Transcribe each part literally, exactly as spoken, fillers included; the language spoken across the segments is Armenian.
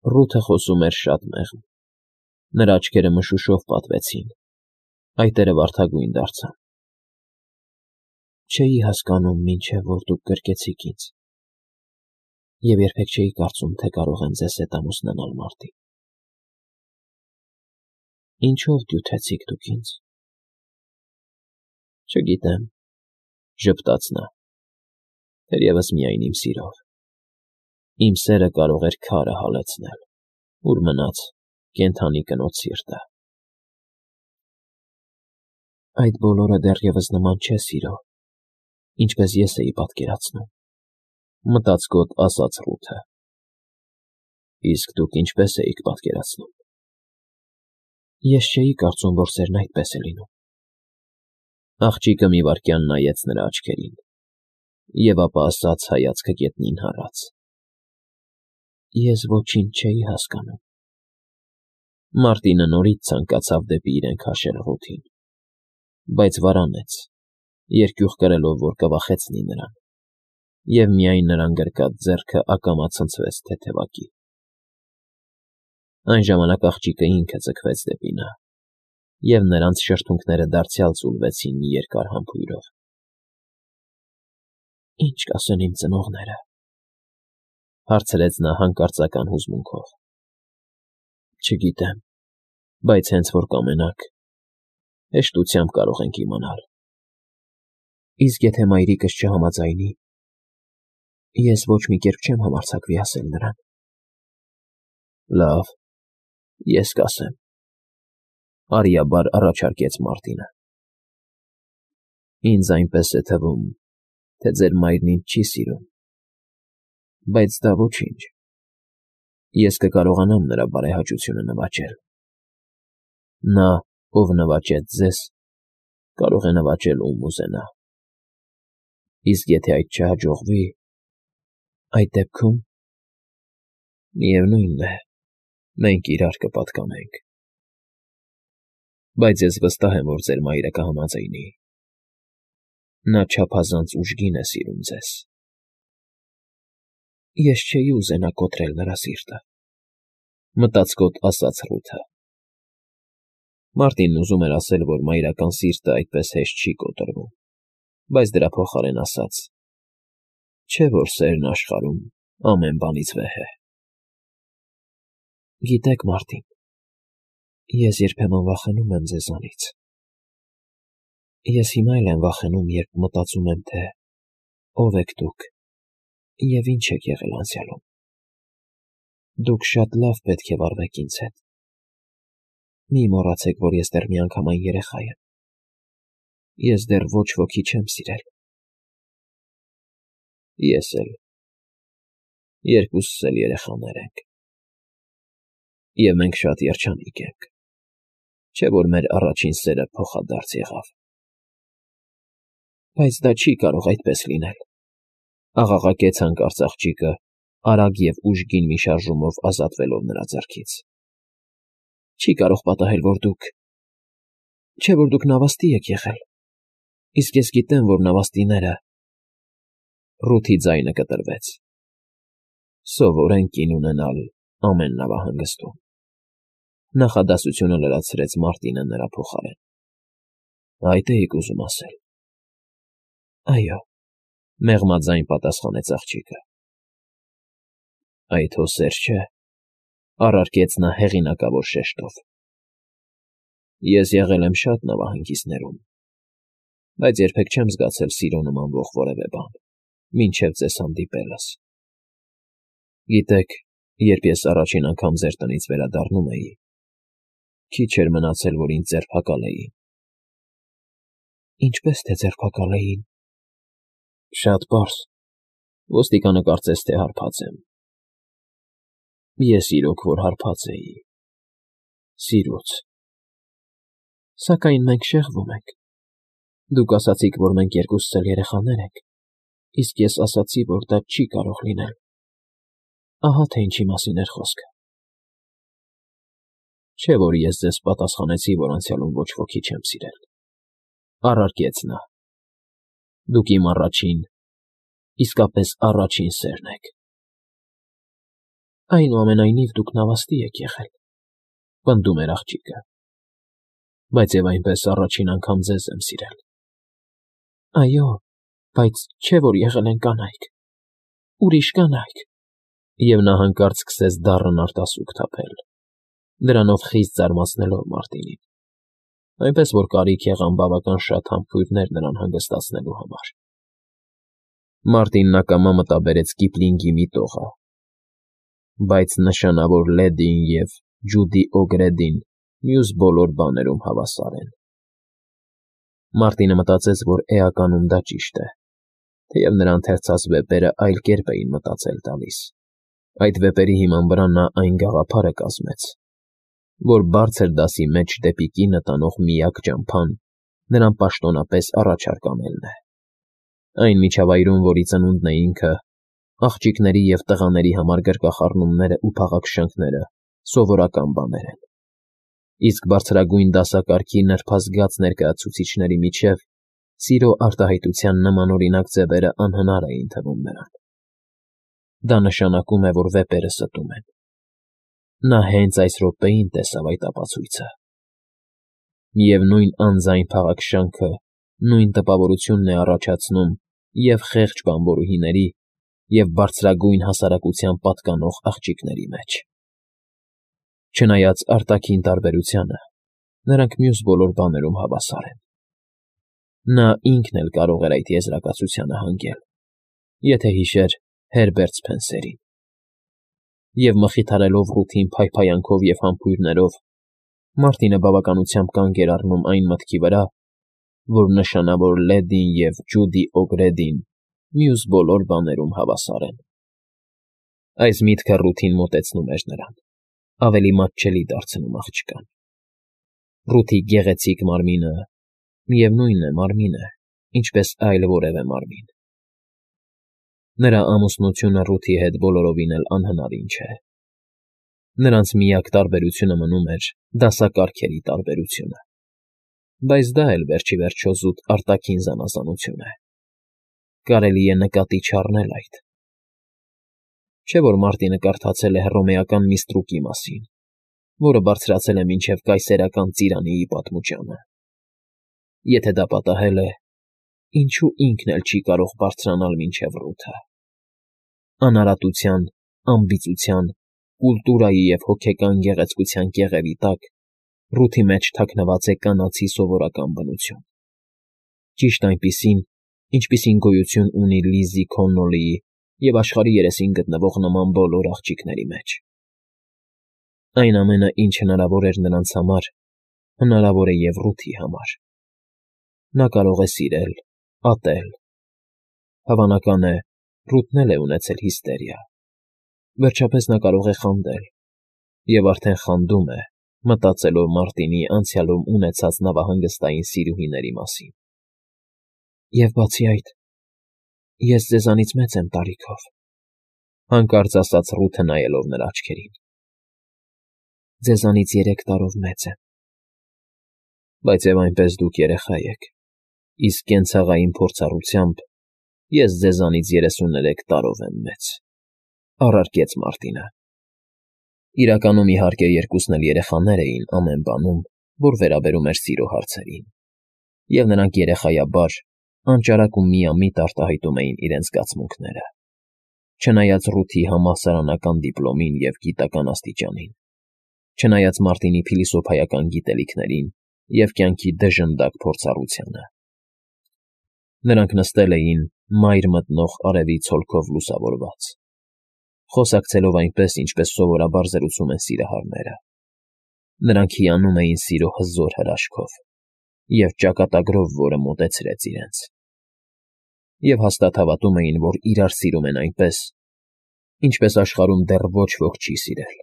Ռութը խոսում էր շատ մեղմ, նրա աչքերը մշուշով պատվեցին, այտերը վարդագույն դարձան։ Չէի հասկանում, մինչև որ դուք գրկեցիք ինձ, և երբեք չէի կարծում, թե կարող եմ ձեզ հետ ամուսնանալ, Մարտին։ Ինչո՞վ դյութեցիք դուք ինձ։ Չգիտեմ, ժպտաց նա, թերևս միայն իմ սիրով։ Իմ սերը կարող էր քարը հալեցնել, ուր մնաց կենդանի կնոջ սիրտը։ Այդ բոլորը դեռևս նման չէ սիրո, ինչպես ես էի պատկերացնում, մտածկոտ ասաց Ռութը։ Իսկ դուք ինչպես էիք պատկերացնում։ Ես չէի կարծում, որ սերն այդպես է լինում։ Աղջիկը մի վայրկյան նայեց նրա աչքերին, և ապա ասաց հայացքը գետնին հառած. Ես ոչինչ չէի հասկանում։ Մարտինը նորից ցանկացավ դեպի իրեն քաշել Ռութին, բայց վարանեց, երկյուղ կրելով, որ կվախեցնի նրան, և միայն նրան գրկած ձեռքը ակամա ցնցվեց թեթևակի։ Այն ժամանակ աղջիկը ինքը ձգվեց դեպի նա, և նրանց շրթունքները դարձյալ ձուլվեցին մի երկար համբույրով։ Ի՞նչ կասեն իմ ծնողները, հարցրեց նա հանկարծական հուզմունքով։ Չգիտեմ, բայց հենց որ կամենաք, հեշտությամբ կարող ենք իմանալ։ Իսկ եթե մայրիկս չհամաձայնի, ես ոչ մի կերպ չեմ համարձակվի ասել նրան։ Լավ, ես կասեմ, արիաբար առաջարկեց Մարտինը։ Ինձ այնպես է թվում, թե ձեր մայրն ինձ չի սիրում, բայց դա ոչինչ, ես կկարողանամ նրա բարեհաճությունը նվաճել։ Նա, ով նվաճեց ձեզ, կարող է նվաճել ում ուզենա։ Իսկ եթե այդ չհաջողվի, այդ դեպքում… Միևնույն է, մենք իրար կպատկանենք։ Բայց ես վստահ եմ, որ ձեր մայրը կհամաձայնի։ Նա չափազանց ուժգին է սիրում ձեզ։ Ես չէի ուզենա կոտրել նրա սիրտը, մտածկոտ ասաց Ռութը։ Մարտինն ուզում էր ասել, որ մայրական սիրտը այդպես հեշտ չի կոտրվում, բայց դրա փոխարեն ասաց. Չէ՞ որ սերն աշխարհում ամեն բանից վեհ է։ Գիտեք, Մարտին, ես երբեմն վախենում եմ ձեզանից։ Ես հիմա էլ եմ վախենում, երբ մտածում եմ, թե ով եք դուք և ինչ եք եղել անցյալում։ Դուք շատ լավ պետք է վարվեք ինձ հետ։ Մի մոռացեք, որ ես դեռ միանգամայն երեխա եմ։ Ես դեռ ոչ ոքի չեմ սիրել։ Ես էլ։ Երկուսս էլ երեխաներ ենք։ Եվ մենք շատ երջանիկ ենք, չէ՞ որ մեր առաջին սերը փոխադարձ եղավ։ Բայց դա չի կարող այդպես լինել, աղաղակեց հանկարծ աղջիկը, արագ և ուժգին մի շարժումով ազատվելով նրա ձեռքից։ Չի կարող պատահել, որ դուք… Չէ՞ որ դուք նավաստի եք եղել, իսկ ես գիտեմ, որ նավաստիները… Ռութի ձայնը կտրվեց։ Սովոր են կին ունենալ ամեն նավահանգստում։ Նախադասությունը լրացրեց Մարտինը նրա փոխարեն։ Այդ էիք ուզում ասել։ Այո, մեղմաձայն պատասխանեց աղջիկը։ Այդ հո սեր չէ, առարկեց նա հեղինակավոր շեշտով։ Ես եղել եմ շատ նավահանգիստներում, բայց երբեք չեմ զգացել սիրո նմանվող որևէ բան, մինչև ձեզ հանդիպելս։ Գիտեք, երբ ես առաջին անգամ ձեր տնից վերադառնում էի, քիչ էր մնացել, որ ինձ ձերբակալեին։ Ինչպե՞ս թե ձերբակալեին։ Շատ պարզ, ոստիկանը կարծես թե հարբած եմ։ Ես իրոք որ հարբած էի… սիրուց։ Սակայն մենք շեղվում ենք։ Դուք ասացիք, որ մենք երկուսս էլ երեխաներ ենք, իսկ ես ասացի, որ դա չի կարող լինել։ Ահա թե ինչի մասին էր խոսքը։ Չէ՞ որ ես ձեզ պատասխանեցի, որ անցյալում ոչ ոքի չեմ սիրել, առարկեց նա։ Դուք իմ առաջին, իսկապես առաջին սերն եք։ Այնուամենայնիվ դուք նավաստի եք եղել,֊ պնդում էր աղջիկը,֊ բայց և այնպես առաջին անգամ ձեզ եմ սիրել։ ֊ Այո, բայց չէ՞ որ եղել են կանայք, ուրիշ կանայք,֊ և նա հանկարծ սկսեց դառն արտասուք թափել, դրանով խիստ զարմացնելով Մարտինին, այնպես որ կարիք եղան բավական շատ համբույրներ նրան հանգստացնելու համար։ Մարտինն ակամա մտաբերեց Կիպլինգի մի տողը. «Բայց նշանավոր լեդին և Ջուդի Օգրեդին մյուս բոլոր բաներում հավասար են»։ Մարտինը մտածեց, որ էականում դա ճիշտ է, թեև նրա ընթերցած վեպերը այլ կերպ էին մտածել տալիս. այդ վեպերի հիման վրա նա այն գաղափարը կազմեց, որ բարձր դասի մեջ դեպի կինը տանող միակ ճամփան նրան պաշտոնապես առաջ֊արկամելն է, այն միջավայրում, որի ծնունդն է ինքը, աղջիկների և տղաների համար գրկախառնումներն ու փաղաքշանքները սովորական բաներ են, իսկ բարձրագույն դասակարգի նրբազգաց ներկայացուցիչների միջև սիրո արտահայտության նմանօրինակ ձևերը անհնար էին թվում նրան։ Դա նշանակում է, որ վեպերը ստում են։ Նա հենց այս րոպեին տեսավ այդ ապացույցը։ Եվ նույն անձայն փաղաքշանքը նույն տպավորությունն է առաջացնում և՛ խեղճ բանվորուհիների, և՛ բարձրագույն հասարակության պատկանող աղջիկների մեջ։ Չնայած արտաքին տարբերությանը, նրանք մյուս բոլոր բաներում հավասար են։ Նա ինքն էլ կարող էր այդ եզրակացությանը հանգել, եթե հիշեր Հերբերտ Սփենսերին։ Եվ մխիթարելով Ռութին փայփայանքով և համբույրներով, Մարտինը բավականությամբ կանգ էր առնում այն մտքի վրա, որ նշանավոր լեդին և Ջուդի Օգրեդին մյուս բոլոր բաներում հավասար են։ Այս միտքը Ռութին մոտեցնում էր նրան, ավելի մատչելի դարձնում աղջկան։ Ռութի գեղեցիկ մարմինը, միևնույն է, մարմին է, ինչպես այլ որևէ մարմին։ Նրա ամուսնությունը Ռութի հետ բոլորովին էլ անհնարին չէ։ Նրանց միակ տարբերությունը մնում էր դասակարգերի տարբերությունը, բայց դա էլ վերջիվերջո զուտ արտաքին զանազանություն է։ Կարելի է նկատի չառնել այդ։ Չէ՞ որ Մարտինը կարդացել է հռոմեական մի ստրուկի մասին, որը բարձրացել է մինչև կայսերական Ծիրանիի պատմուճանը։ Եթե դա պատահել է, ինչո՞ւ ինքն էլ չի կարող բարձրանալ մինչև Ռութը։ Անարատության, ամբիծության, կուլտուրայի և հոգեկան գեղեցկության կեղևի տակ Ռութի մեջ թաքնված է կանացի սովորական բնություն, ճիշտ այնպիսին, ինչպիսին գոյություն ունի Լիզի Քոննոլիի և աշխարհի երեսին գտնվող նման բոլոր աղջիկների մեջ։ Այն ամենը, ինչ հնարավոր էր նրանց համար, հնարավոր է և Ռութի համար։ Նա կարող է սիրել, ատել։ Հավանական է, Ռութն էլ է ունեցել հիստերիա։ Վերջապես նա կարող է խանդել, և արդեն խանդում է, մտածելով Մարտինի անցյալում ունեցած նավահանգստային սիրուհիների մասին։ Եվ բացի այդ, ես ձեզանից մեծ եմ տարիքով,֊ հանկարծ ասաց Ռութը նայելով նրա աչքերին։ Ձեզանից երեք տարով մեծ եմ։ Բայց և այնպես դուք երեխա եք, իսկ կենցաղային փորձառությամբ ես ձեզանից երեսուներեք տարով եմ մեծ,֊ առարկեց Մարտինը։ Իրականում, իհարկե, երկուսն էլ երեխաներ էին ամեն բանում, որ վերաբերում էր սիրո հարցերին, և նրանք երեխայաբար, անճարակ ու միամիտ արտահայտում էին իրենց զգացմունքները, չնայած Ռութի համալսարանական դիպլոմին և գիտական աստիճանին, չնայած Մարտինի փիլիսոփայական գիտելիքներին և կյանքի դժնդակ փորձառությանը։ Նրանք նստել էին մայր մտնող արևի ցոլքով լուսավորված, խոսակցելով այնպես, ինչպես սովորաբար զրուցում են սիրահարները։ Նրանք հիանում էին սիրո հզոր հրաշքով և ճակատագրով, որը մոտեցրեց իրենց, և հաստատ հավատում էին, որ իրար սիրում են այնպես, ինչպես աշխարհում դեռ ոչ ոք չի սիրել։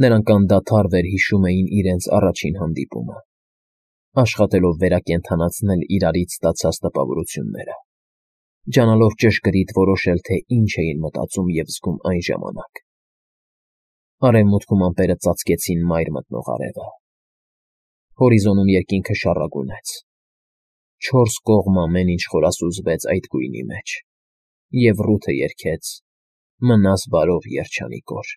Նրանք անդադար վերհիշում էին իրենց առաջին հանդիպումը, աշխատելով վերակենդանացնել իրարից ստացած տպավորությունները, ջանալով ճշգրիտ որոշել, թե ինչ էին մտածում և զգում այն ժամանակ։ Արևմուտքում ամպերը ծածկեցին մայր մտնող արևը։ Հորիզոնում երկինքը շառագունեց։ Չորս կողմ ամեն ինչ խորասուզվեց այդ գույնի մեջ, և Ռութը երգեց Մնաս բարով, երջանիկ օր…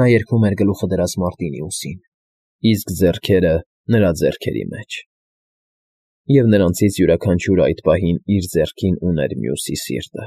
Նա երգում էր գլուխը դրած Մարտինի ուսին, իսկ ձեռքերը նրա ձեռքերի մեջ, և նրանցից յուրաքանչյուրը այդ պահին իր ձեռքին ուներ մյուսի սիրտը։